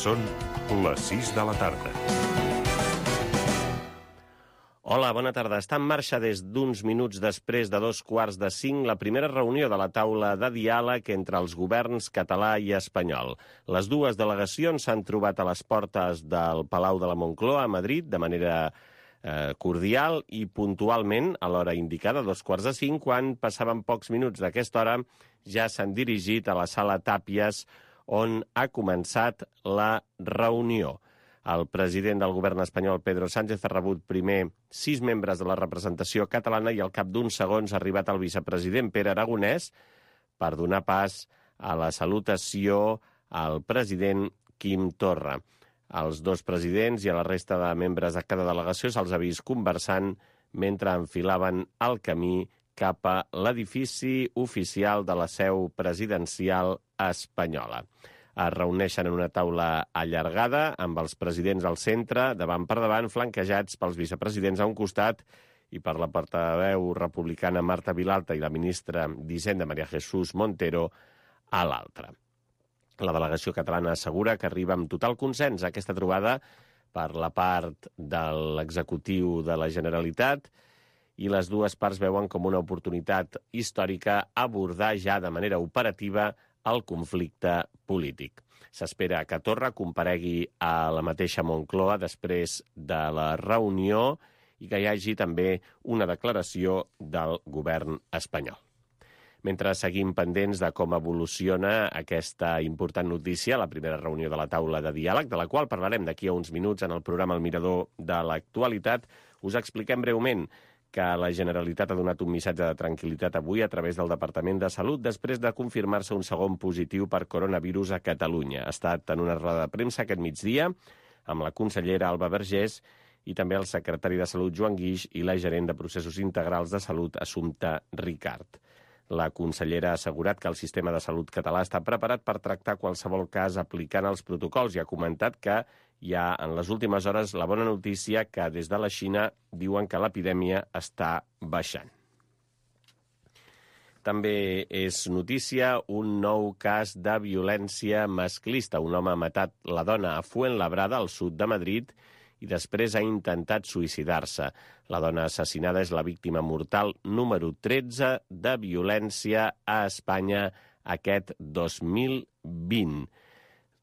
Són les 6 de la tarda. Hola, bona tarda. Està en marxa des d'uns minuts després de 4:45 la primera reunió de la taula de diàleg entre els governs català i espanyol. Les dues delegacions s'han trobat a les portes del Palau de la Moncloa a Madrid de manera cordial i puntualment a l'hora indicada, 4:45, quan passaven pocs minuts d'aquesta hora ja s'han dirigit a la sala Tàpies on ha començat la reunió. El president del govern espanyol, Pedro Sánchez, ha rebut primer 6 membres de la representació catalana i al cap d'uns segons ha arribat el vicepresident Pere Aragonès per donar pas a la salutació al president Quim Torra. Els dos presidents i a la resta de membres de cada delegació se'ls ha vist conversant mentre enfilaven el camí cap a l'edifici oficial de la seu presidencial espanyola. Es reuneixen en una taula allargada amb els presidents al centre, davant per davant, flanquejats pels vicepresidents a un costat i per la portaveu republicana Marta Vilalta i la ministra d'Hisenda María Jesús Montero a l'altra. La delegació catalana assegura que arriba amb total consens a aquesta trobada per la part de l'executiu de la Generalitat i les dues parts veuen com una oportunitat històrica abordar ja de manera operativa el conflicte polític. S'espera que Torra comparegui a la mateixa Moncloa després de la reunió i que hi hagi també una declaració del govern espanyol. Mentre seguim pendents de com evoluciona aquesta important notícia, la primera reunió de la taula de diàleg, de la qual parlarem d'aquí a uns minuts en el programa El Mirador de l'actualitat, us expliquem breument que la Generalitat ha donat un missatge de tranquil·litat avui a través del Departament de Salut després de confirmar-se un segon positiu per coronavirus a Catalunya. Ha estat en una roda de premsa aquest migdia amb la consellera Alba Vergés i també el secretari de Salut Joan Guix i la gerent de Processos Integrals de Salut Assumpta Ricart. La consellera ha assegurat que el sistema de salut català està preparat per tractar qualsevol cas aplicant els protocols i ha comentat que hi ha en les últimes hores la bona notícia que des de la Xina diuen que l'epidèmia està baixant. També és notícia un nou cas de violència masclista. Un home ha matat la dona a Fuenlabrada, al sud de Madrid, i després ha intentat suïcidar-se. La dona assassinada és la víctima mortal número 13 de violència a Espanya aquest 2020.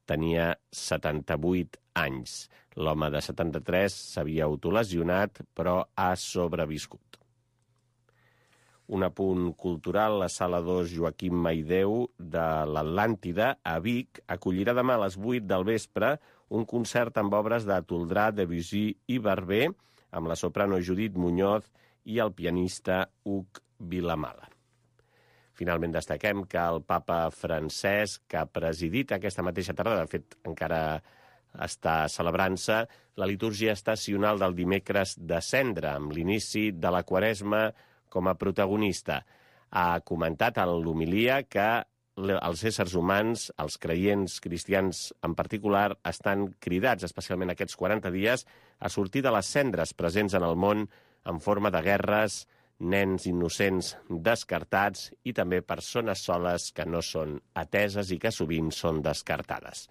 Tenia 78 anys. L'home de 73 s'havia autolesionat, però ha sobreviscut. Un apunt cultural, la Sala 2 Joaquim Maideu de l'Atlàntida, a Vic, acollirà demà a les 8 del vespre un concert amb obres de Toldrà, Debussy i Barber, amb la soprano Judit Muñoz i el pianista Hug Vilamala. Finalment destaquem que el papa Francesc, que ha presidit aquesta mateixa tarda, de fet encara està celebrant-se, la litúrgia estacional del dimecres de Cendra, amb l'inici de la Quaresma com a protagonista. Ha comentat en l'homilia que els éssers humans, els creients cristians en particular, estan cridats, especialment aquests 40 dies, a sortir de les cendres presents en el món en forma de guerres, nens innocents descartats i també persones soles que no són ateses i que sovint són descartades.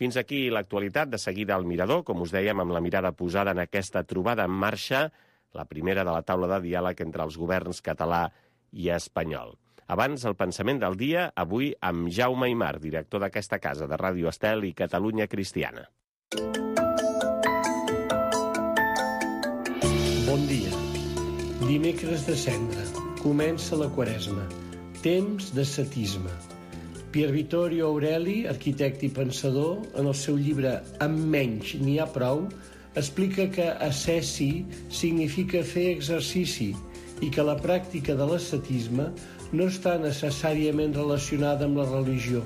Fins aquí l'actualitat. De seguida al Mirador, com us dèiem, amb la mirada posada en aquesta trobada en marxa, la primera de la taula de diàleg entre els governs català i espanyol. Abans, el pensament del dia, avui amb Jaume Aymar, director d'aquesta casa de Ràdio Estel i Catalunya Cristiana. Bon dia. Dimecres de Cendra. Comença la Quaresma. Temps d'ascetisme. Pier Vittorio Aureli, arquitecte i pensador, en el seu llibre Amb menys n'hi ha prou, explica que ascesi significa fer exercici i que la pràctica de l'ascetisme no està necessàriament relacionada amb la religió,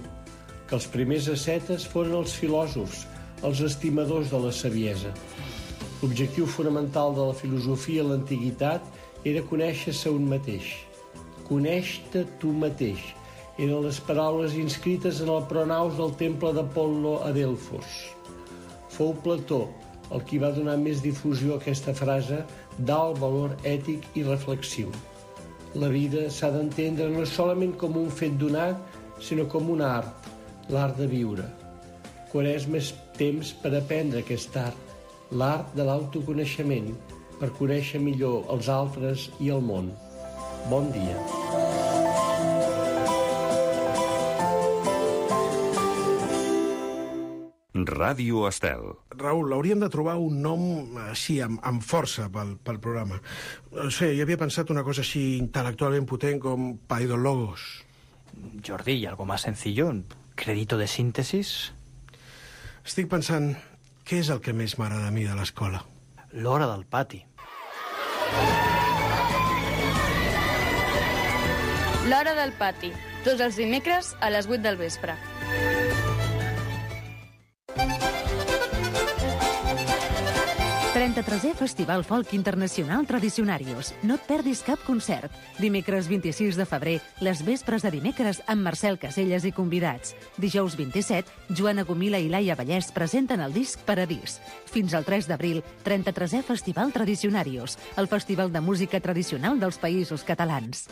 que els primers ascetes foren els filòsofs, els estimadors de la saviesa. L'objectiu fonamental de la filosofia a l'antiguitat era conèixer-se un mateix. Coneix-te tu mateix eren les paraules inscrites en el pronaus del temple d'Apol·lo a Delfos. Fou Plató el qui va donar més difusió a aquesta frase d'alt valor ètic i reflexiu. La vida s'ha d'entendre no solament com un fet donat, sinó com un art, l'art de viure. Quaresma és temps per aprendre aquest art, l'art de l'autoconeixement, per conèixer millor els altres i el món. Bon dia. Ràdio Estel. Raül, hauríem de trobar un nom així, amb força pel programa. No sé, jo havia pensat una cosa així intel·lectualment potent com Paidologos. Jordi, ¿y algo más sencillo? ¿Crédito de síntesis? Estic pensant, què és el que més m'agrada a mi de l'escola? L'hora del pati. L'hora del pati. Tots els dimecres a les 8 del vespre. Festival Folk Internacional Tradicionarios. No et perdis cap concert. Dimecres 26 de febrer, les vespres de dimecres amb Marcel Caselles i convidats. Dijous 27, Joana Gomila i Laia Vallès presenten el disc Paradís. Fins al 3 d'abril, 33è Festival Tradicionarios, el festival de música tradicional dels Països Catalans.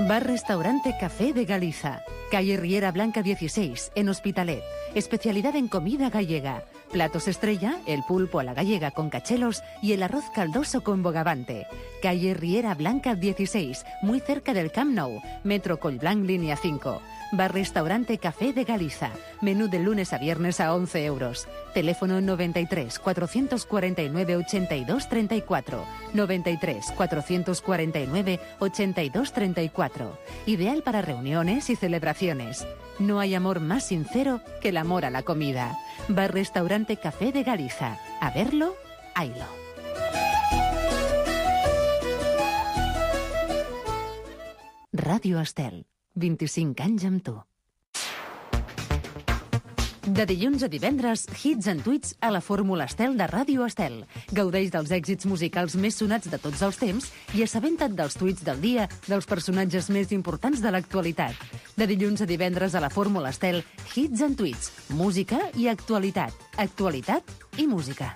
Bar-restaurante Café de Galiza. Calle Riera Blanca 16, en Hospitalet. Especialidad en comida gallega. Platos estrella, el pulpo a la gallega con cachelos y el arroz caldoso con bogavante. Calle Riera Blanca 16, muy cerca del Camp Nou. Metro Collblanc, línea 5. Bar-restaurante Café de Galiza. Menú de lunes a viernes a 11 euros. Teléfono 93 449 82 34. 93 449 82 34. Ideal para reuniones y celebraciones. No hay amor más sincero que el amor a la comida. Bar-restaurante Café de Galiza. A verlo, haylo. Ràdio Estel. 25 anys amb tu. De dilluns a divendres, hits and tweets a la Fórmula Estel de Ràdio Estel. Gaudeix dels èxits musicals més sonats de tots els temps i assabenta't dels tuits del dia dels personatges més importants de l'actualitat. De dilluns a divendres a la Fórmula Estel, hits and tweets, música i actualitat. Actualitat i música.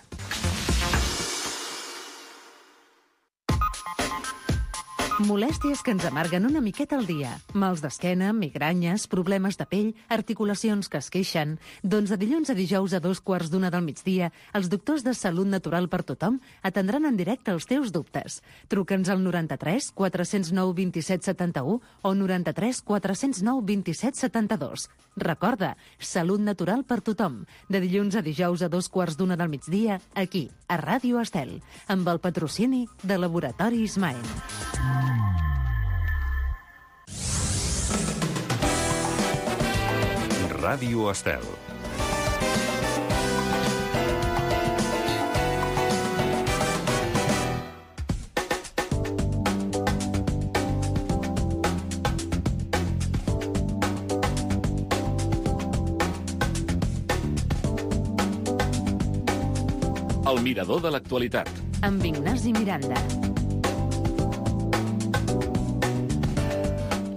Molèsties que ens amarguen una miqueta al dia. Mals d'esquena, migranyes, problemes de pell, articulacions que es queixen. Doncs de dilluns a dijous a 2:15 del migdia, els doctors de Salut Natural per Tothom atendran en directe els teus dubtes. Truca'ns al 93 409 27 71 o 93 409 27 72. Recorda, Salut Natural per Tothom. De dilluns a dijous a 2:15 del migdia, aquí, a Ràdio Estel, amb el patrocini de Laboratori Ismael. Ràdio Estel. El mirador de l'actualitat. Amb Ignasi Miranda.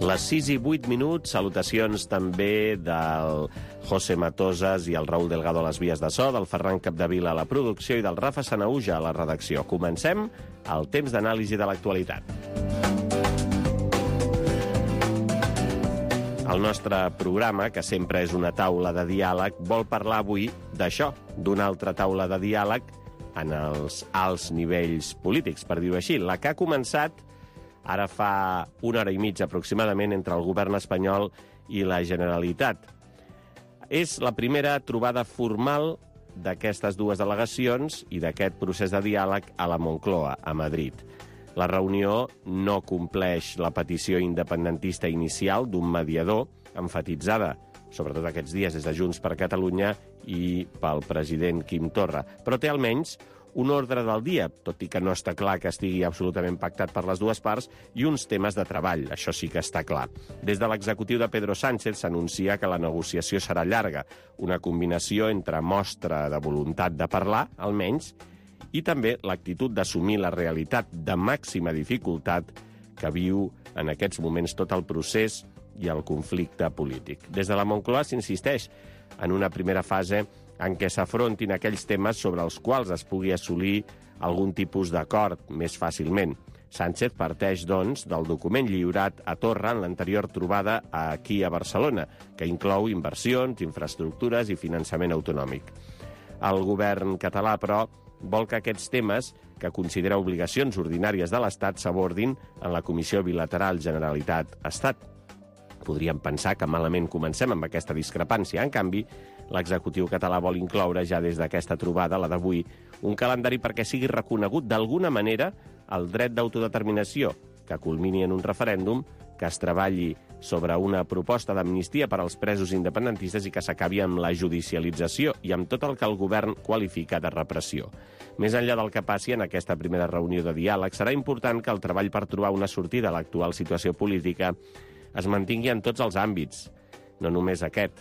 Les 6:08, salutacions també del José Matosas i el Raúl Delgado a les vies de so, del Ferran Capdevila a la producció i del Rafa Sanaúja a la redacció. Comencem el temps d'anàlisi de l'actualitat. El nostre programa, que sempre és una taula de diàleg, vol parlar avui d'això, d'una altra taula de diàleg en els alts nivells polítics, per dir-ho així. La que ha començat ara fa una hora i mitja aproximadament entre el govern espanyol i la Generalitat. És la primera trobada formal d'aquestes dues delegacions i d'aquest procés de diàleg a la Moncloa, a Madrid. La reunió no compleix la petició independentista inicial d'un mediador, emfatitzada, sobretot aquests dies, des de Junts per Catalunya i pel president Quim Torra, però té almenys un ordre del dia, tot i que no està clar que estigui absolutament pactat per les dues parts, i uns temes de treball, això sí que està clar. Des de l'executiu de Pedro Sánchez s'anuncia que la negociació serà llarga, una combinació entre mostra de voluntat de parlar, almenys, i també l'actitud d'assumir la realitat de màxima dificultat que viu en aquests moments tot el procés i el conflicte polític. Des de la Moncloa s'insisteix en una primera fase en què s'afrontin aquells temes sobre els quals es pugui assolir algun tipus d'acord més fàcilment. Sánchez parteix, doncs, del document lliurat a Torra en l'anterior trobada aquí a Barcelona, que inclou inversions, infraestructures i finançament autonòmic. El govern català, però, vol que aquests temes, que considera obligacions ordinàries de l'Estat, s'abordin en la Comissió Bilateral Generalitat-Estat. Podríem pensar que malament comencem amb aquesta discrepància. En canvi, l'executiu català vol incloure ja des d'aquesta trobada, la d'avui, un calendari perquè sigui reconegut d'alguna manera el dret d'autodeterminació, que culmini en un referèndum, que es treballi sobre una proposta d'amnistia per als presos independentistes i que s'acabi amb la judicialització i amb tot el que el govern qualifica de repressió. Més enllà del que passi en aquesta primera reunió de diàleg, serà important que el treball per trobar una sortida a l'actual situació política es mantingui en tots els àmbits, no només aquest,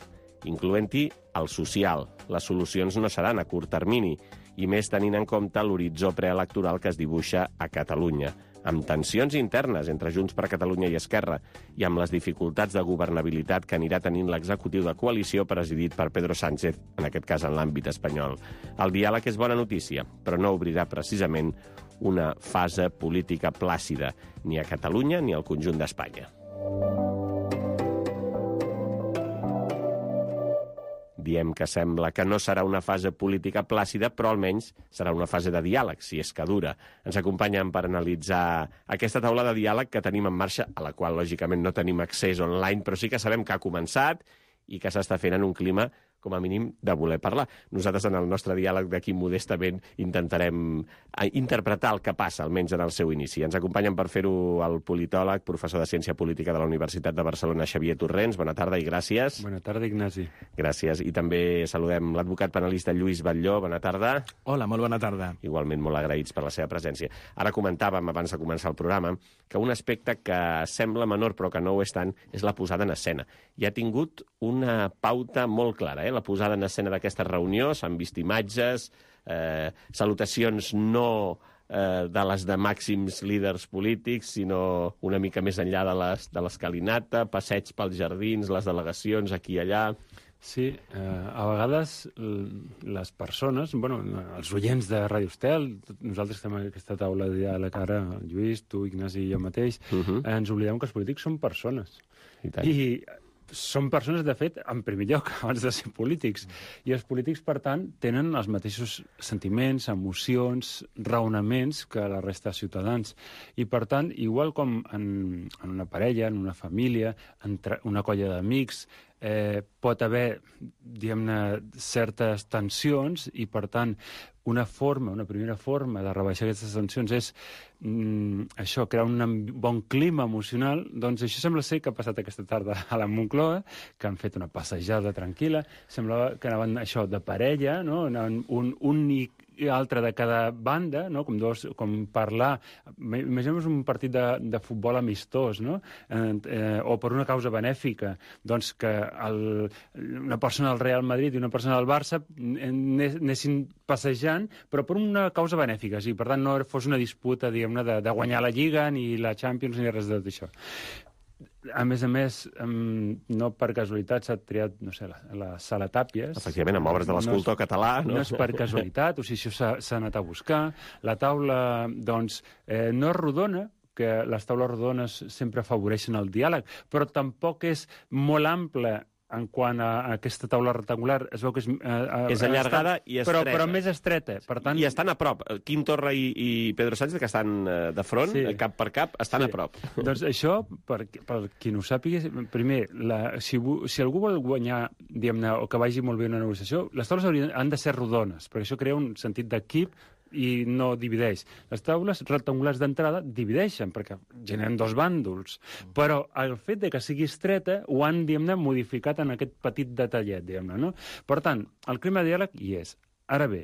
incloent-hi el social. Les solucions no seran a curt termini, i més tenint en compte l'horitzó preelectoral que es dibuixa a Catalunya, amb tensions internes entre Junts per Catalunya i Esquerra i amb les dificultats de governabilitat que anirà tenint l'executiu de coalició presidit per Pedro Sánchez, en aquest cas en l'àmbit espanyol. El diàleg és bona notícia, però no obrirà precisament una fase política plàcida, ni a Catalunya ni al conjunt d'Espanya. Diem que sembla que no serà una fase política plàcida, però almenys serà una fase de diàleg, si és que dura. Ens acompanyen per analitzar aquesta taula de diàleg que tenim en marxa, a la qual, lògicament, no tenim accés online, però sí que sabem que ha començat i que s'està fent en un clima, com a mínim, de voler parlar. Nosaltres, en el nostre diàleg d'aquí modestament, intentarem interpretar el que passa, almenys en el seu inici. Ens acompanyen per fer-ho el politòleg, professor de Ciència Política de la Universitat de Barcelona, Xavier Torrents. Bona tarda i gràcies. Bona tarda, Ignasi. Gràcies. I també saludem l'advocat penalista Lluís Batlló. Bona tarda. Hola, molt bona tarda. Igualment molt agraïts per la seva presència. Ara comentàvem, abans de començar el programa, que un aspecte que sembla menor però que no ho és tant és la posada en escena. I ha tingut una pauta molt clara, la posada en escena d'aquesta reunió. S'han vist imatges, salutacions no de les de màxims líders polítics, sinó una mica més enllà de l'escalinata, passeig pels jardins, les delegacions aquí i allà. Sí, a vegades les persones, els oients de Ràdio Estel, nosaltres estem en aquesta taula de diàleg ara, Lluís, tu, Ignasi i jo mateix, ens oblidem que els polítics són persones. I són persones, de fet, en primer lloc, abans de ser polítics. I els polítics, per tant, tenen els mateixos sentiments, emocions, raonaments que la resta de ciutadans. I, per tant, igual com en una parella, en una família, en una colla d'amics, pot haver, diguem-ne, certes tensions i, per tant, una primera forma de rebaixar aquestes tensions és això, crear un bon clima emocional. Doncs això sembla ser que ha passat aquesta tarda a la Moncloa, que han fet una passejada tranquil·la. Semblava que anaven això de parella, no? Anaven un i altre de cada banda, no? Com parlar. Imaginem un partit de futbol amistós, no? O per una causa benèfica, doncs que una persona del Real Madrid i una persona del Barça anessin passejant, però per una causa benèfica, sí. Per tant, no fos una disputa, diguem-ne, de guanyar la Lliga, ni la Champions, ni res de tot això. A més, no per casualitat s'ha triat, no sé, la Sala Tàpies. Efectivament, amb obres de l'escultor català. No és per casualitat, o sigui, això s'ha anat a buscar. La taula, doncs, no és rodona, que les taules rodones sempre afavoreixen el diàleg, però tampoc és molt ampla en quant a aquesta taula rectangular. Es veu que és allargada i estreta. Però més estreta. Per tant... I estan a prop. Quim Torra i Pedro Sánchez, que estan de front, sí, cap per cap, estan a prop. Doncs això, per qui no ho sàpiga, primer, si algú vol guanyar, diguem-ne, o que vagi molt bé una negociació, les taules han de ser rodones, perquè això crea un sentit d'equip i no divideix. Les taules rectangulars d'entrada divideixen, perquè generen dos bàndols. Però el fet de que sigui estreta ho han, diguem-ne, modificat en aquest petit detallet, diguem-ne, no? Per tant, el clima de diàleg hi és. Ara bé,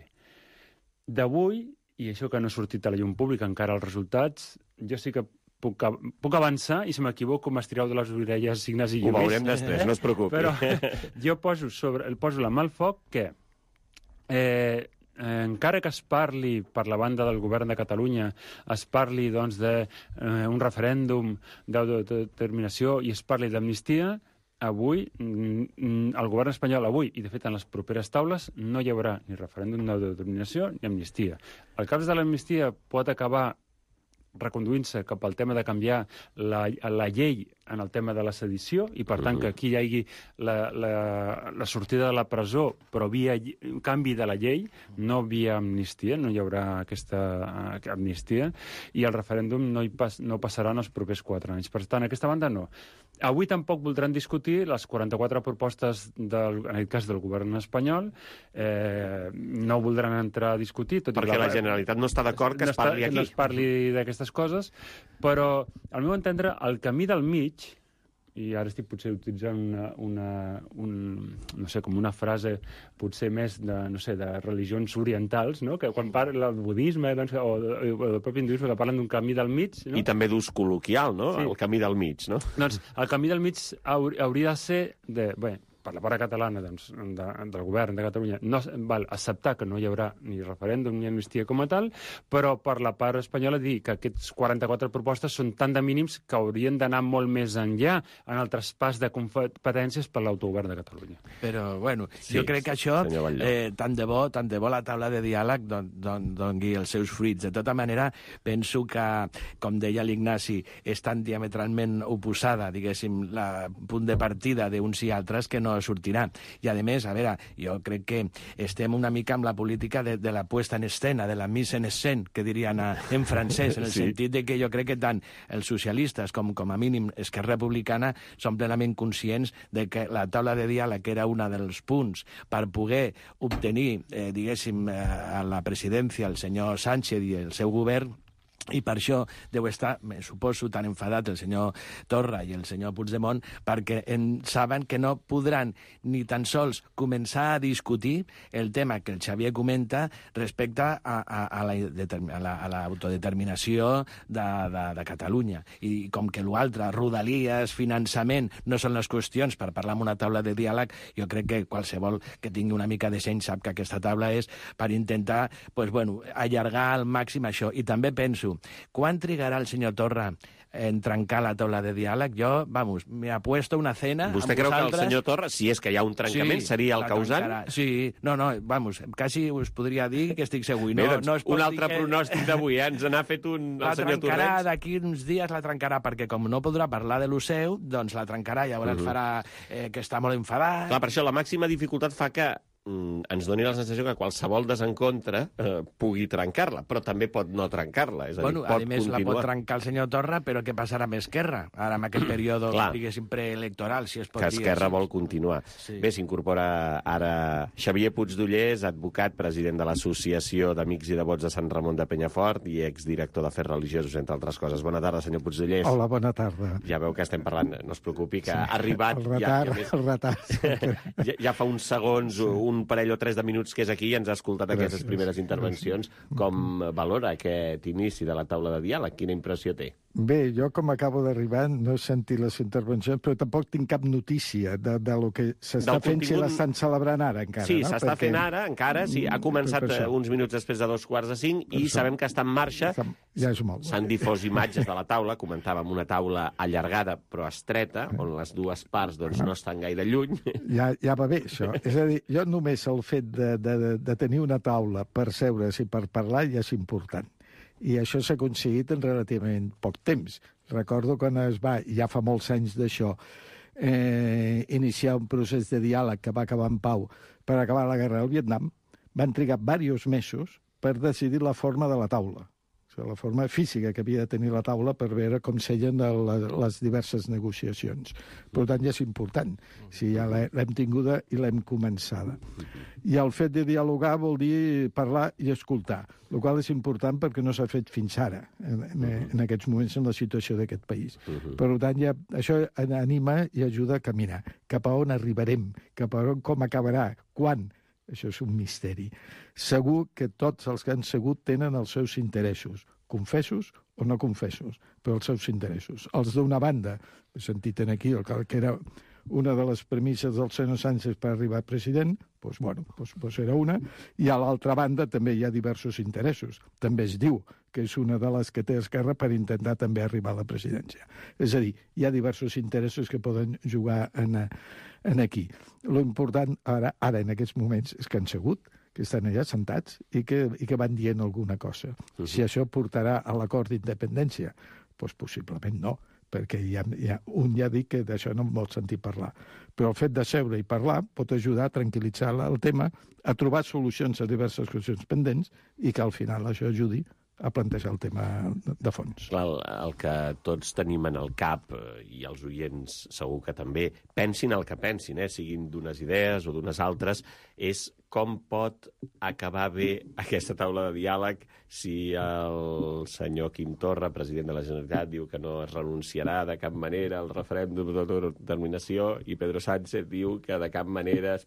d'avui, i això que no ha sortit a la llum pública encara els resultats, jo sí que puc avançar, i si m'equivoco m'estireu de les orelles, Ignasi i Lluís. Ho veurem després, no es preocupi. Però jo poso la mà al foc que encara que es parli per la banda del govern de Catalunya, es parli doncs d'un referèndum d'autodeterminació i es parli d'amnistia, avui el govern espanyol, i de fet en les properes taules, no hi haurà ni referèndum d'autodeterminació ni amnistia. El cas de l'amnistia pot acabar reconduint-se cap al tema de canviar la llei en el tema de la sedició, i per tant que aquí hi hagi la sortida de la presó, però via canvi de la llei, no via amnistia, no hi haurà aquesta amnistia, i el referèndum no passarà en els propers 4 anys. Per tant, aquesta banda no. Avui tampoc voldran discutir les 44 propostes, en aquest cas del govern espanyol, no voldran entrar a discutir. Perquè la Generalitat no està d'acord que es parli aquí. No es parli d'aquestes coses, però, al meu entendre, el camí del mig, i ara estic potser utilitzant com una frase potser més de religions orientals, no? Que quan parla del budisme o del propi hinduisme, que parlen d'un camí del mig... No? I també d'ús col·loquial, no? Sí. El camí del mig, no? Doncs el camí del mig hauria de ser per la part catalana del govern de Catalunya, acceptar que no hi haurà ni referèndum ni amnistia com a tal, però per la part espanyola dir que aquests 44 propostes són tan de mínims que haurien d'anar molt més enllà en el traspàs de competències per l'autogovern de Catalunya. Però, bueno, jo crec que això, tant de bo la taula de diàleg doni els seus fruits. De tota manera, penso que, com deia l'Ignasi, és tan diametralment oposada, diguéssim, el punt de partida d'uns i altres que no sortirà. I, a més, a veure, jo crec que estem una mica amb la política de la puesta en escena, de la mise en scène, que dirien en francès, en el sentit de que jo crec que tant els socialistes com a mínim Esquerra Republicana són plenament conscients de que la taula de diàleg era un dels punts per poder obtenir, diguéssim, a la presidència el senyor Sánchez i el seu govern, i per això deu estar, me suposo, tan enfadat el senyor Torra i el senyor Puigdemont, perquè saben que no podran ni tan sols començar a discutir el tema que el Xavier comenta respecte a l'autodeterminació de Catalunya. I com que l'altre, rodalies, finançament, no són les qüestions per parlar en una taula de diàleg, jo crec que qualsevol que tingui una mica de seny sap que aquesta taula és per intentar allargar al màxim això. I també penso, quan trigarà el senyor Torra en trencar la taula de diàleg? Jo, me apuesto una cena amb vosaltres. Vostè creu que el senyor Torra, si és que hi ha un trencament, seria el causant? Sí, quasi us podria dir que estic segur. Un altre pronòstic d'avui, ens n'ha fet un el senyor Torrents. D'aquí uns dies la trencarà, perquè com no podrà parlar de lo seu, doncs la trencarà, llavors farà que està molt enfadat. Clar, per això la màxima dificultat fa que ens doni la sensació que qualsevol desencontre pugui trencar-la, però també pot no trencar-la. És a dir, pot continuar. La pot trencar el senyor Torra, però què passarà amb Esquerra? Ara, en aquest període, diguéssim, preelectoral, si es pot dir. Que Esquerra vol continuar. Sí. Bé, s'incorpora ara Xavier Puigdollers, advocat, president de l'Associació d'Amics i Devots de Sant Ramon de Penyafort i exdirector d'Afers Religiosos, entre altres coses. Bona tarda, senyor Puigdollers. Hola, bona tarda. Ja veu que estem parlant, no es preocupi, que ha arribat... El retard. Ja fa uns segons, un parell o 3 de minuts que és aquí i ens ha escoltat aquestes primeres intervencions. Com valora aquest inici de la taula de diàleg? Quina impressió té? Bé, jo com acabo d'arribar no he sentit les intervencions, però tampoc tinc cap notícia de lo que s'està fent, si l'estan celebrant ara encara. Sí, s'està fent ara, encara, sí. Ha començat uns minuts després de 4:45 i sabem que està en marxa. Ja és molt. S'han difós imatges de la taula, comentàvem una taula allargada però estreta, on les dues parts no estan gaire lluny. Ja va bé, això. És a dir, jo només el fet de tenir una taula per seure's i per parlar ja és important. I això s'ha aconseguit en relativament poc temps. Recordo quan es va, ja fa molts anys d'això, iniciar un procés de diàleg que va acabar en pau per acabar la guerra del Vietnam, van trigar diversos mesos per decidir la forma de la taula. La forma física que havia de tenir la taula per veure com seien les diverses negociacions. Per tant, ja és important. Si ja l'hem tinguda i l'hem començada. I el fet de dialogar vol dir parlar i escoltar, el qual és important perquè no s'ha fet fins ara, en aquests moments, en la situació d'aquest país. Per tant, això anima i ajuda a caminar. Cap a on arribarem, cap a on, com acabarà, quan... Això és un misteri. Segur que tots els que han segut tenen els seus interessos, confessos o no confessos, però els seus interessos. Els d'una banda, he sentit aquí que era una de les premisses del senyor Sánchez per arribar a president, doncs era una, i a l'altra banda també hi ha diversos interessos. També es diu que és una de les que té Esquerra per intentar també arribar a la presidència. És a dir, hi ha diversos interessos que poden jugar en aquí. Lo important ara en aquests moments és que han segut que estan allà sentats i que van dient alguna cosa. Si això portarà a l'acord d'independència, doncs possiblement no, perquè un ja ha dit que d'això no en vol sentir parlar. Però el fet de seure i parlar pot ajudar a tranquil·litzar el tema, a trobar solucions a diverses qüestions pendents i que al final això ajudi a plantejar el tema de fons. El que tots tenim en el cap, i els oients segur que també, pensin el que pensin, siguin d'unes idees o d'unes altres, és com pot acabar bé aquesta taula de diàleg si el senyor Quim Torra, president de la Generalitat, diu que no es renunciarà de cap manera al referèndum d'autodeterminació i Pedro Sánchez diu que de cap manera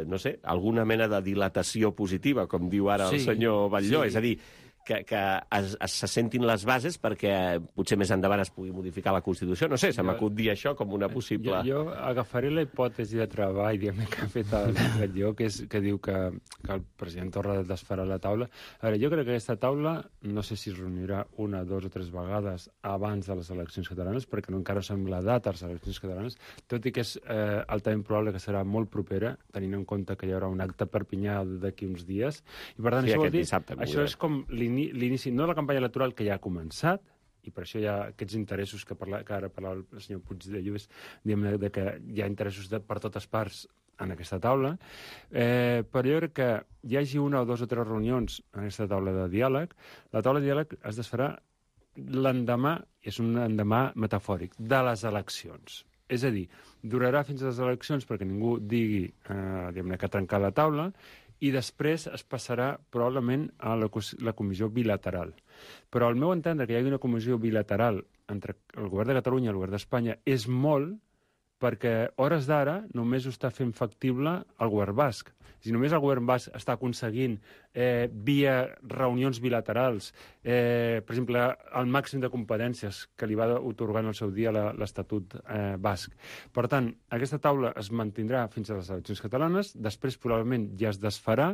no sé, alguna mena de dilatació positiva, com diu ara el senyor Batlló. És a dir, que se sentin les bases perquè potser més endavant es pugui modificar la Constitució. No sé, se m'acut dir això com una possible... Jo agafaré la hipòtesi de treball que ha fet el Batlló, que diu que el president Torra desfarà la taula. A veure, jo crec que aquesta taula no sé si es reunirà una, dues o tres vegades abans de les eleccions catalanes, perquè encara no sembla data les eleccions catalanes, tot i que és altament probable que serà molt propera, tenint en compte que hi haurà un acte a Perpinyà d'aquí uns dies. I per tant, això vol dir, això és com l'inici, no de la campanya electoral que ja ha començat, i per això hi ha aquests interessos que ara parlava el senyor Puig de Lluís, de que hi ha interessos per totes parts en aquesta taula, però jo crec que hi hagi una o dues o tres reunions en aquesta taula de diàleg. La taula de diàleg es desfarà l'endemà, és un endemà metafòric, de les eleccions. És a dir, durarà fins a les eleccions perquè ningú digui que ha trencat la taula, i després es passarà probablement a la comissió bilateral. Però al meu entendre que hi hagi una comissió bilateral entre el govern de Catalunya i el govern d'Espanya és molt, perquè a hores d'ara només ho està fent factible el govern basc. Si només el govern basc està aconseguint via reunions bilaterals, per exemple, el màxim de competències que li va atorgar en el seu dia l'Estatut basc. Per tant, aquesta taula es mantindrà fins a les eleccions catalanes, després probablement ja es desfarà,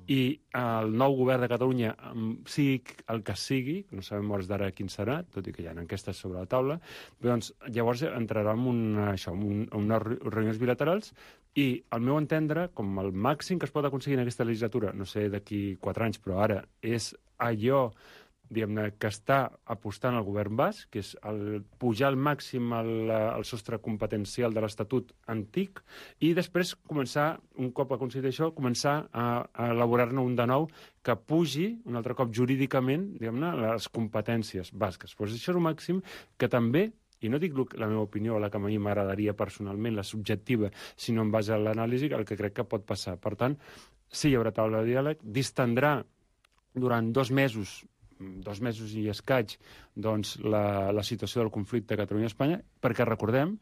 i el nou govern de Catalunya, sigui el que sigui, no sabem hores d'ara quin serà, tot i que hi ha enquestes sobre la taula, doncs llavors entrarà en unes reunions bilaterals, i al meu entendre, com el màxim que es pot aconseguir en aquesta legislatura, no sé d'aquí 4 anys, però ara és allò diguem-ne, que està apostant el govern basc, que és pujar al màxim el sostre competencial de l'Estatut antic, i després començar, un cop aconseguit això, començar a elaborar-ne un de nou que pugi, un altre cop jurídicament, diguem-ne, les competències basques. Doncs això és un màxim que també, i no dic la meva opinió, la que a mi m'agradaria personalment, la subjectiva, sinó en base a l'anàlisi, el que crec que pot passar. Per tant, sí hi haurà taula de diàleg, distendrà durant 2 mesos i escaig, doncs, la situació del conflicte a Catalunya i Espanya, perquè recordem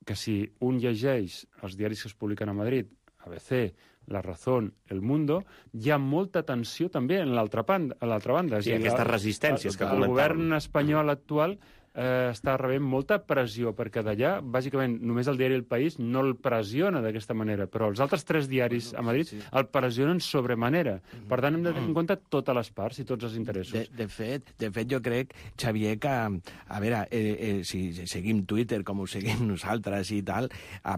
que si un llegeix els diaris que es publiquen a Madrid, ABC, La Razón, El Mundo, hi ha molta tensió també a l'altra banda. Sí, aquestes resistències que comentàvem. El govern espanyol actual està rebent molta pressió, perquè d'allà, bàsicament, només el diari El País no el pressiona d'aquesta manera, però els altres 3 diaris a Madrid el pressionen sobremanera. Per tant, hem de tenir en compte totes les parts i tots els interessos. De fet, jo crec, Xavier, que, a veure, si seguim Twitter com ho seguim nosaltres i tal,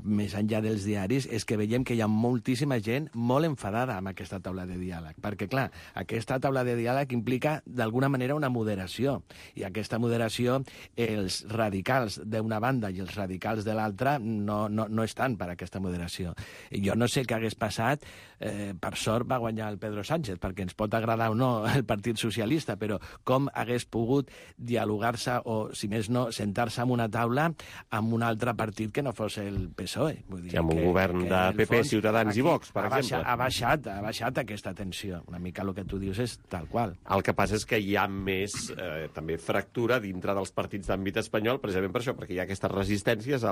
més enllà dels diaris, és que veiem que hi ha moltíssima gent molt enfadada amb aquesta taula de diàleg, perquè, clar, aquesta taula de diàleg implica, d'alguna manera, una moderació, i aquesta moderació els radicals d'una banda i els radicals de l'altra no estan per aquesta moderació. Jo no sé què hagués passat, per sort va guanyar el Pedro Sánchez, perquè ens pot agradar o no el Partit Socialista, però com hagués pogut dialogar-se o, si més no, sentar-se en una taula amb un altre partit que no fos el PSOE. Vull dir, amb un govern de PP, Ciutadans i Vox, per exemple. Ha baixat aquesta tensió. Una mica el que tu dius és tal qual. El que passa és que hi ha més, també, fractura dintre dels partits d'àmbit espanyol, precisament per això, perquè hi ha aquestes resistències,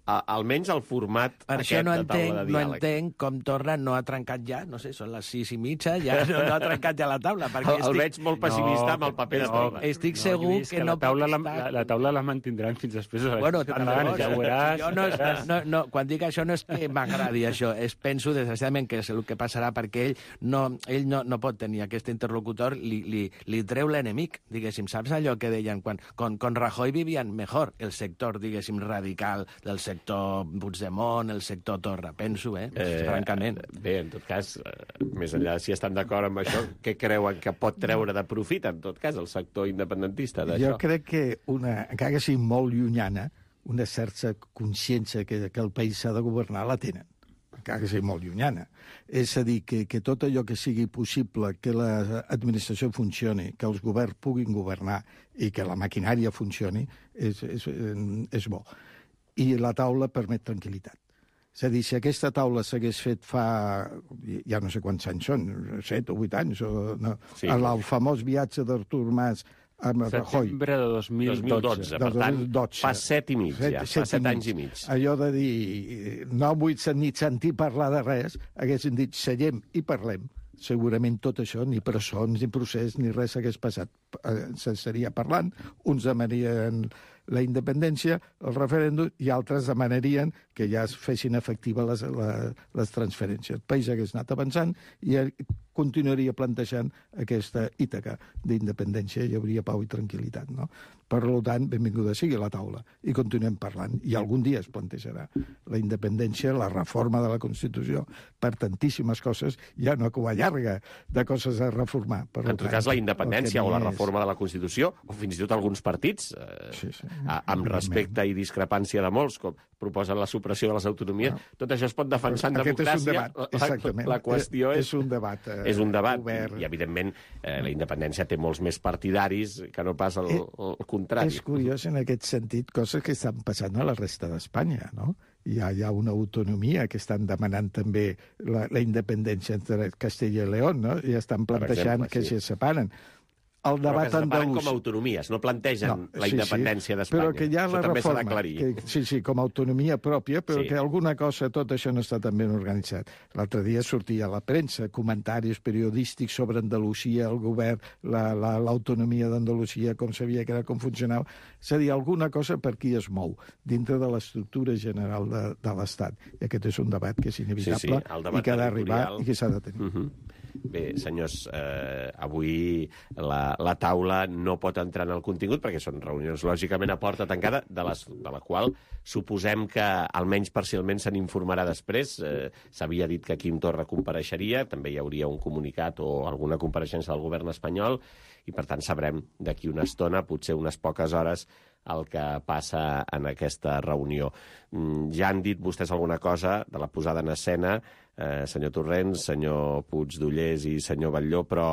almenys al format aquest de taula de diàleg. No entenc com Torra no ha trencat ja, no sé, són les 6:30, ja no ha trencat ja la taula. El veig molt pessimista amb el paper de Torra. Estic segur que no pot estar... La taula la mantindran fins després de les catalanes, ja veuràs. Quan dic això no és que m'agradi això, penso desgraciadament que és el que passarà, perquè ell no pot tenir aquest interlocutor, li treu l'enemic, diguéssim. Saps allò que deien quan Rajoy Rajoy vivían mejor el sector, diguéssim, radical del sector Puigdemont, el sector Torra, penso, francament. Bé, en tot cas, més enllà de si estan d'acord amb això, què creuen que pot treure de profit, en tot cas, el sector independentista d'això? Jo crec que, encara que sigui molt llunyana, una certa consciència que el país s'ha de governar la tenen, encara que sigui molt llunyana. És a dir, que tot allò que sigui possible, que l'administració funcioni, que els governs puguin governar i que la maquinària funcioni, és bo. I la taula permet tranquil·litat. És a dir, si aquesta taula s'hagués fet fa, ja no sé quants anys són, 7 o 8 anys, el famós viatge d'Artur Mas amb Rajoy. Setembre de 2012. Per tant, fa 7 i mig, ja. Fa 7 anys i mig. Allò de dir, no vull ni sentir parlar de res, haguessin dit, seiem i parlem. Segurament tot això, ni presons, ni procés, ni res hagués passat. S'estaria parlant, uns demanarien la independència, el referèndum, i altres demanarien que ja es fessin efectives les transferències. El país hagués anat avançant i continuaria plantejant aquesta Ítaca d'independència, hi hauria pau i tranquil·litat, no? Per tant, benvinguda sigui la taula i continuem parlant. I algun dia es plantejarà la independència, la reforma de la Constitució, per tantíssimes coses, ja una cua llarga de coses a reformar. En tot cas, la independència o la reforma de la Constitució, o fins i tot alguns partits, amb respecte i discrepància de molts, com proposen la supressió de les autonomies, tot això es pot defensar en democràcia. La qüestió és un debat. És un debat, i evidentment la independència té molts més partidaris que no pas el contrari. És curiós en aquest sentit, coses que estan passant a la resta d'Espanya, no? Hi ha una autonomia que estan demanant també la independència entre Castella i León, no? I estan plantejant que se separen. El debat però que se separen com a autonomies, no plantegen la independència d'Espanya. Però que hi ha la reforma, com a autonomia pròpia, però que alguna cosa, tot això no està tan ben organitzat. L'altre dia sortia a la premsa comentaris periodístics sobre Andalusia, el govern, l'autonomia d'Andalusia, com sabia que era, com funcionava. És a dir, alguna cosa per qui es mou dintre de l'estructura general de l'Estat. I aquest és un debat que és inevitable i que ha d'arribar i que s'ha de tenir. Bé, senyors, avui la taula no pot entrar en el contingut perquè són reunions lògicament a porta tancada, de la qual suposem que almenys parcialment se n'informarà després. S'havia dit que Quim Torra compareixeria, també hi hauria un comunicat o alguna compareixença del govern espanyol i per tant sabrem d'aquí una estona, potser unes poques hores, el que passa en aquesta reunió. Ja han dit vostès alguna cosa de la posada en escena, senyor Torrents, senyor Puigdollers i senyor Batlló, però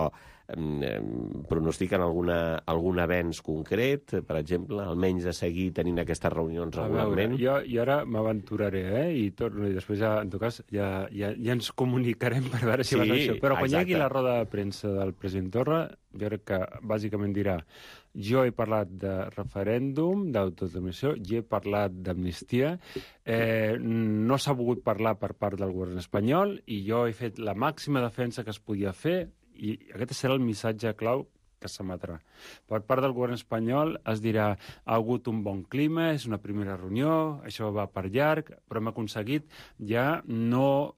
pronostiquen algun avenç concret, per exemple, almenys de seguir tenint aquestes reunions regularment? Jo ara m'aventuraré, i torno, i després ja, en tot cas, ja ens comunicarem per veure si va ser això. Però quan hi hagi la roda de premsa del president Torra, jo crec que bàsicament dirà: jo he parlat de referèndum, d'autodeterminació, jo he parlat d'amnistia, no s'ha volgut parlar per part del govern espanyol i jo he fet la màxima defensa que es podia fer i aquest serà el missatge clau que s'emetrà. Per part del govern espanyol es dirà: ha hagut un bon clima, és una primera reunió, això va per llarg, però hem aconseguit ja no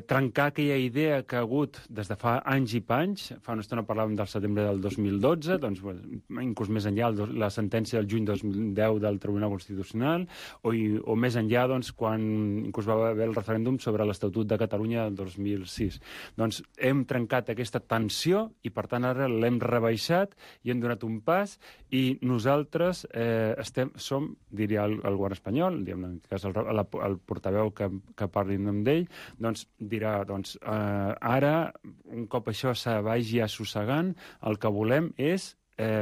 trencar aquella idea que ha hagut des de fa anys i panys. Fa una estona parlàvem del setembre del 2012, doncs, inclús més enllà, la sentència del juny 2010 del Tribunal Constitucional, o més enllà, doncs, quan inclús va haver el referèndum sobre l'Estatut de Catalunya del 2006. Doncs hem trencat aquesta tensió i, per tant, ara l'hem rebaixat i hem donat un pas i nosaltres som, diria el govern espanyol, en aquest cas el portaveu que parli en nom d'ell, doncs dirà, ara, un cop això se vagi assossegant, el que volem és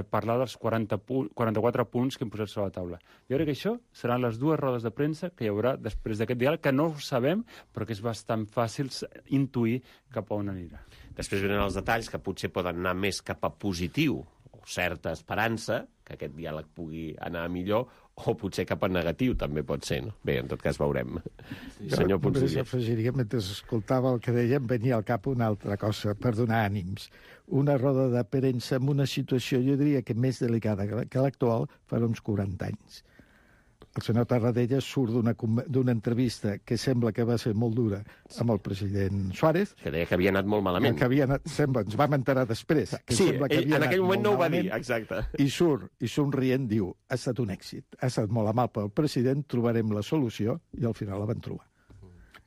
parlar dels 44 punts que hem posat sobre la taula. Jo crec que això seran les dues rodes de premsa que hi haurà després d'aquest diàleg, que no ho sabem, però que és bastant fàcil intuir cap a on anirà. Després venen els detalls que potser poden anar més cap a positiu, o certa esperança, que aquest diàleg pugui anar millor, o potser cap a negatiu, també pot ser, no? Bé, en tot cas veurem. Senyor Puigdollers. Jo afegiria, mentre escoltava el que dèiem, venia al cap una altra cosa, per donar ànims. Una roda de premsa en una situació, jo diria que més delicada que l'actual, farà uns 40 anys. El senyor Tarradellas surt d'una entrevista que sembla que va ser molt dura amb el president Suárez. Que deia que havia anat molt malament. Que havia anat, sembla, ens vam enterar després. Que sí, sembla que ell en aquell moment no ho va dir, exacte. I surt, i somrient, diu, ha estat un èxit, ha estat molt amable el president, trobarem la solució, i al final la van trobar.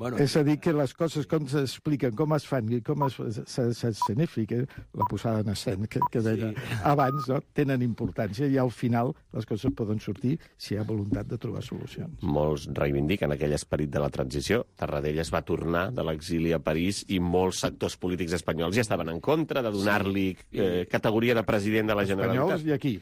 Bueno, és a dir, que les coses com s'expliquen, com es fan i com s'escenifiquen, la posada en escena que deia abans, no? Tenen importància i al final les coses poden sortir si hi ha voluntat de trobar solucions. Molts reivindiquen aquell esperit de la transició. Tarradellas va tornar de l'exili a París i molts sectors polítics espanyols ja estaven en contra de donar-li categoria de president de la Generalitat. Espanyols i aquí.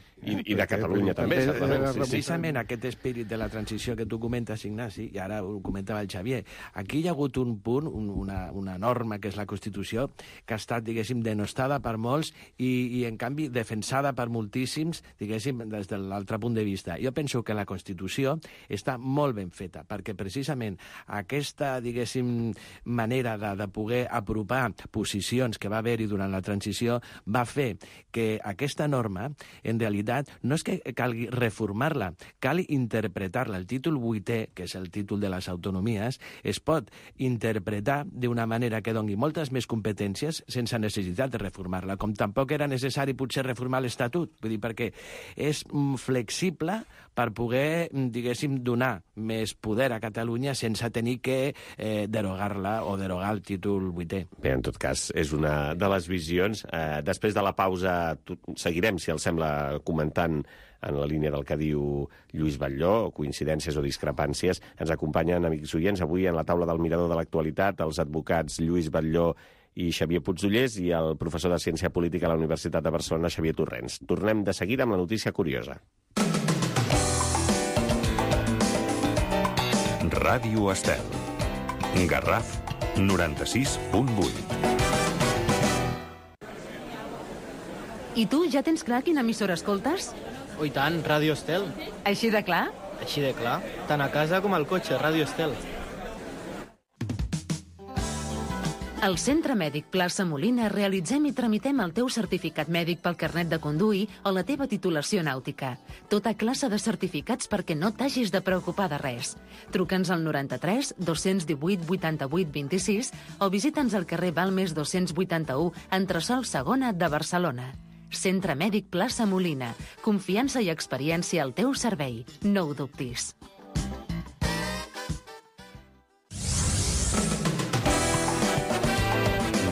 I de Catalunya també. Precisament aquest esperit de la transició que tu comentes, Ignasi, i ara ho comentava el Xavier, aquí hi ha hagut un punt, una norma, que és la Constitució, que ha estat, diguéssim, denostada per molts i en canvi, defensada per moltíssims, diguéssim, des de l'altre punt de vista. Jo penso que la Constitució està molt ben feta, perquè precisament aquesta, diguéssim, manera de poder apropar posicions que va haver-hi durant la transició va fer que aquesta norma, en realitat, no és que calgui reformar-la, cal interpretar-la. El títol 8è, que és el títol de les autonomies, es pot interpretar d'una manera que doni moltes més competències sense necessitat de reformar-la, com tampoc era necessari potser reformar l'Estatut, vull dir, perquè és flexible per poder, diguéssim, donar més poder a Catalunya sense tenir que derogar-la o derogar el títol 8è. Bé, en tot cas, és una de les visions. Després de la pausa seguirem, si els sembla, comentant en la línia del que diu Lluís Batlló, coincidències o discrepàncies. Ens acompanyen, amics oients, avui en la taula del Mirador de l'Actualitat, els advocats Lluís Batlló i Xavier Puigdollers i el professor de Ciència Política a la Universitat de Barcelona, Xavier Torrents. Tornem de seguida amb la notícia curiosa. Ràdio Estel. Garraf 96.8. I tu ja tens clar quina emissora escoltes? Oh, i tant, Ràdio Estel. Així de clar? Així de clar. Tant a casa com al cotxe, Ràdio Estel. Al Centre Mèdic Plaça Molina realitzem i tramitem el teu certificat mèdic pel carnet de conduir o la teva titulació nàutica. Tota classe de certificats perquè no t'hagis de preocupar de res. Truca'ns al 93 218 88 26 o visita'ns al carrer Balmes 281, entresòl Segona de Barcelona. Centre Mèdic Plaça Molina. Confiança i experiència al teu servei. No ho dubtis.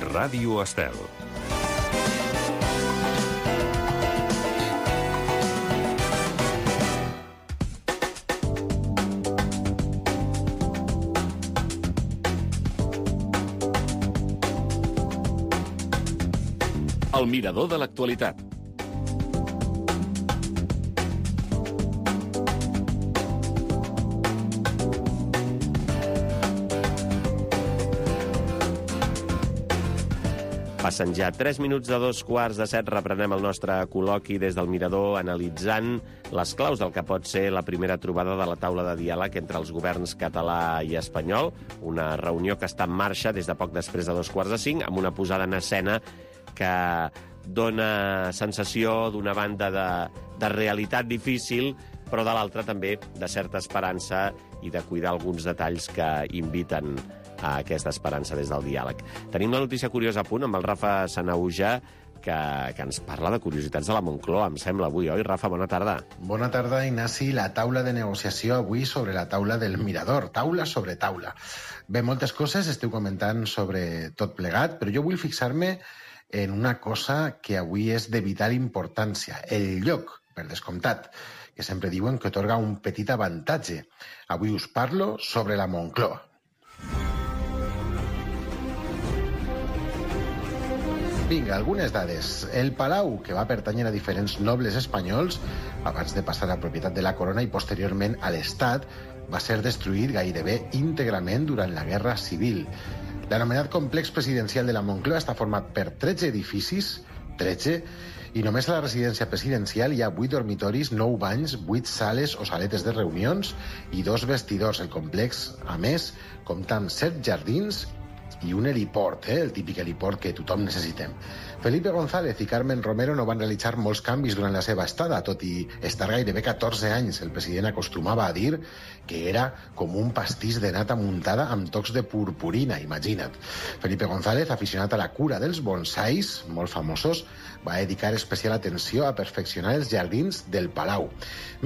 Ràdio Estel. El Mirador de l'Actualitat. Passen ja 3 minuts de 2:45, reprenem el nostre col·loqui des del Mirador analitzant les claus del que pot ser la primera trobada de la taula de diàleg entre els governs català i espanyol, una reunió que està en marxa des de poc després de 4:45, amb una posada en escena que dona sensació d'una banda de realitat difícil, però de l'altra també de certa esperança i de cuidar alguns detalls que inviten a aquesta esperança des del diàleg. Tenim la notícia curiosa a punt amb el Rafa Sanauja, que ens parla de curiositats de la Moncloa, em sembla, avui, oi? Rafa, bona tarda. Bona tarda, Ignasi. La taula de negociació avui sobre la taula del Mirador. Taula sobre taula. Bé, moltes coses esteu comentant sobre tot plegat, però jo vull fixar-me en una cosa que avui és de vital importància, el lloc, per descomptat, que sempre diuen que otorga un petit avantatge. Avui us parlo sobre la Moncloa. Vinga, algunes dades. El palau, que va pertànyer a diferents nobles espanyols, abans de passar a propietat de la corona i posteriorment a l'Estat, va ser destruït gairebé íntegrament durant la Guerra Civil. L'anomenat complex presidencial de la Moncloa està format per 13 edificis, 13, i només a la residència presidencial hi ha 8 dormitoris, 9 banys, 8 sales o saletes de reunions i 2 vestidors. El complex, a més, compta amb 7 jardins i un heliport, el típic heliport que tothom necessitem. Felipe González i Carmen Romero no van realitzar molts canvis durant la seva estada, tot i estar gairebé 14 anys. El president acostumava a dir que era com un pastís de nata muntada amb tocs de purpurina, imagina't. Felipe González, aficionat a la cura dels bonsais, molt famosos, va dedicar especial atenció a perfeccionar els jardins del Palau.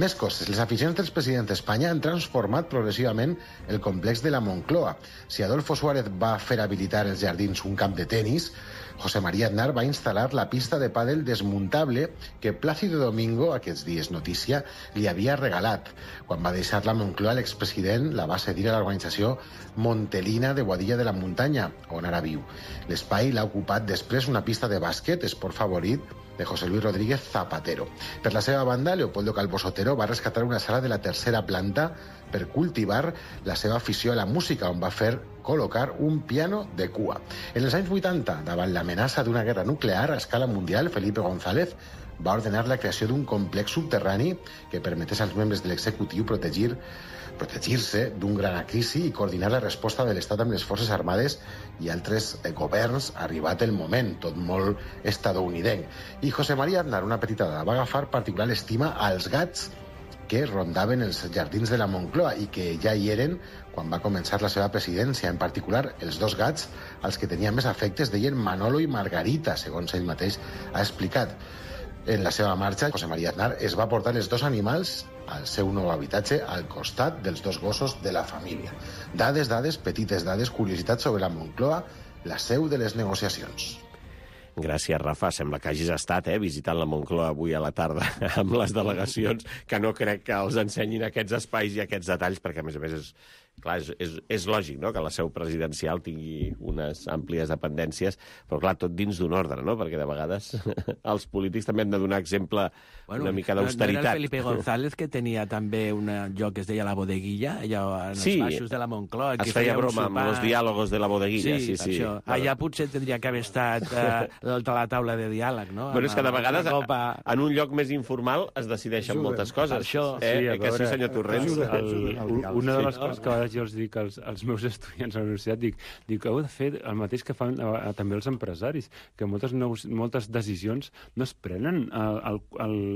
Més coses, les aficions dels presidents d'Espanya han transformat progressivament el complex de la Moncloa. Si Adolfo Suárez va fer habilitar els jardins un camp de tenis, José María Aznar va instal·lar la pista de pàdel desmuntable que Plácido Domingo, aquests dies notícia, li havia regalat. Quan va deixar la Moncloa, l'expresident la va cedir a l'organització Montelina de Boadilla de la Muntanya, on ara viu. L'espai l'ha ocupat després una pista de bàsquet, esport favorit de José Luis Rodríguez Zapatero. Per la seva banda, Leopoldo Calvo Sotero va rescatar una sala de la tercera planta per cultivar la seva afició a la música, on va fer col·locar un piano de cua. En els anys 80, davant l'amenaça d'una guerra nuclear a escala mundial, Felipe González va ordenar la creació d'un complex subterrani que permetés als membres de l'executiu protegir-se d'un gran crisi i coordinar la resposta de l'Estat amb les forces armades i altres governs, arribat el moment, tot molt estadounidenc. I José María Aznar, una petita dada, va agafar particular estima als gats que rondaven els jardins de la Moncloa i que ja hi eren quan va començar la seva presidència. En particular, els dos gats als que tenia més afectes deien Manolo i Margarita, segons ell mateix ha explicat. En la seva marxa, José María Aznar es va portar els dos animals al seu nou habitatge al costat dels dos gossos de la família. Dades, petites dades, curiositats sobre la Moncloa, la seu de les negociacions. Gràcies, Rafa. Sembla que hagis estat visitant la Moncloa avui a la tarda amb les delegacions, que no crec que els ensenyin aquests espais i aquests detalls, perquè, a més, és lògic, no?, que la seu presidencial tingui unes àmplies dependències, però, clar, tot dins d'un ordre, no?, perquè de vegades els polítics també han de donar exemple una mica d'austeritat. No era el Felipe González que tenia també un lloc que es deia la bodeguilla, allà en els baixos de la Moncloa? Es feia broma amb els diàlogos de la bodeguilla. Sí. Això. Allà potser tindria que haver estat a la taula de diàleg, no? Bueno, és que de vegades en un lloc més informal es decideixen moltes coses. Que sí, senyor Torrents? Una de les coses que a vegades jo els dic als meus estudiants a la universitat, dic heu de fer el mateix que fan també els empresaris, que moltes decisions no es prenen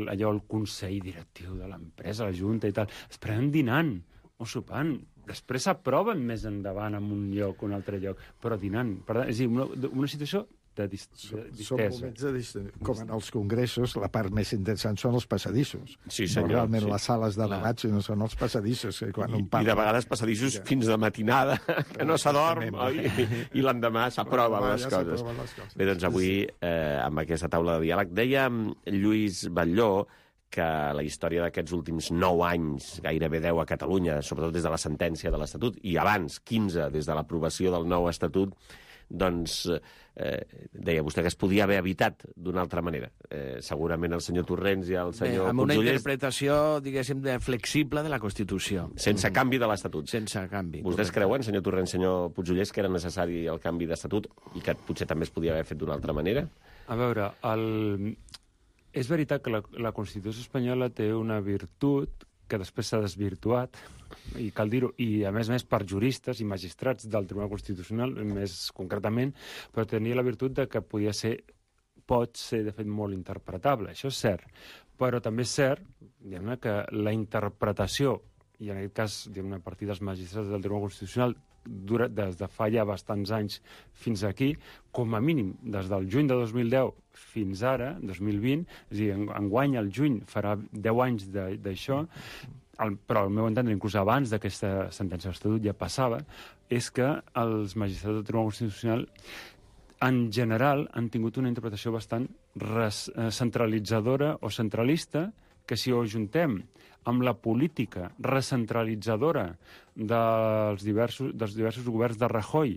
allò al consell directiu de l'empresa, la junta i tal, es prenen dinant o sopant. Després s'aproven més endavant en un lloc o un altre lloc, però dinant. Per tant, és a dir, una situació de distesa. Són moments de distesa. Com en els congressos, la part més interessant són els passadissos. Sí, senyor. Realment les sales de debats no són els passadissos. I de vegades passadissos fins de matinada, que no s'adorm, i l'endemà s'aproven les coses. Bé, doncs avui, amb aquesta taula de diàleg, deia Lluís Batlló que la història d'aquests últims 9 anys, gairebé 10 a Catalunya, sobretot des de la sentència de l'Estatut, i abans 15 des de l'aprovació del nou Estatut, doncs deia vostè que es podia haver evitat d'una altra manera. Segurament el senyor Torrents i el senyor Puigdollers... Amb una interpretació, diguéssim, flexible de la Constitució. Sense canvi de l'Estatut. Sense canvi. Vostès creuen, senyor Torrents, senyor Puigdollers, que era necessari el canvi d'Estatut i que potser també es podia haver fet d'una altra manera? A veure, és veritat que la Constitució espanyola té una virtut que després s'ha desvirtuat, i cal dir-ho, i a més per juristes i magistrats del Tribunal Constitucional, més concretament, però tenia la virtut de que pot ser, de fet, molt interpretable. Això és cert. Però també és cert, diguem-ne, que la interpretació, i en aquest cas, diguem-ne, a partir dels magistrats del Tribunal Constitucional, des de fa ja bastants anys fins aquí, com a mínim des del juny de 2010 fins ara, 2020, és a dir, enguany al juny farà 10 anys d'això, però al meu entendre, inclús abans d'aquesta sentència d'Estatut ja passava, és que els magistrats del Tribunal Constitucional en general han tingut una interpretació bastant centralitzadora o centralista, que si ho ajuntem amb la política recentralitzadora dels diversos governs de Rajoy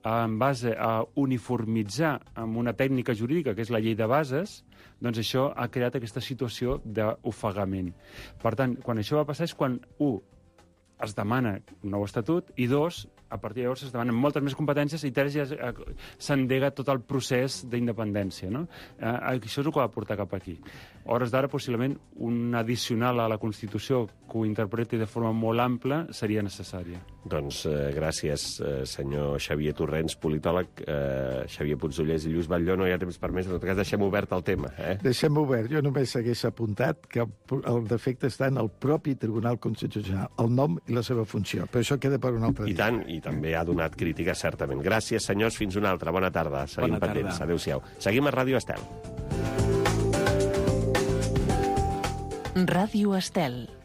en base a uniformitzar amb una tècnica jurídica, que és la llei de bases, doncs això ha creat aquesta situació d'ofegament. Per tant, quan això va passar és quan, es demana un nou estatut, i 2, a partir de llavors es demanen moltes més competències, i 3 ja s'endega tot el procés d'independència, no? Això és el que va portar cap aquí. A hores d'ara, possiblement, un addicional a la Constitució que ho interpreti de forma molt ampla seria necessària. Doncs gràcies, senyor Xavier Torrents, politòleg, Xavier Puigdollers i Lluís Batlló. No hi ha temps per més, en tot cas deixem obert el tema. Deixem obert. Jo només hagués apuntat que el defecte està en el propi Tribunal Constitucional, el nom i la seva funció. Però això queda per un altre dia. I tant, i també ha donat crítica, certament. Gràcies, senyors, fins una altra. Bona tarda. Seguim pendents. Adéu-siau. Seguim a Ràdio Estel. Ràdio Estel.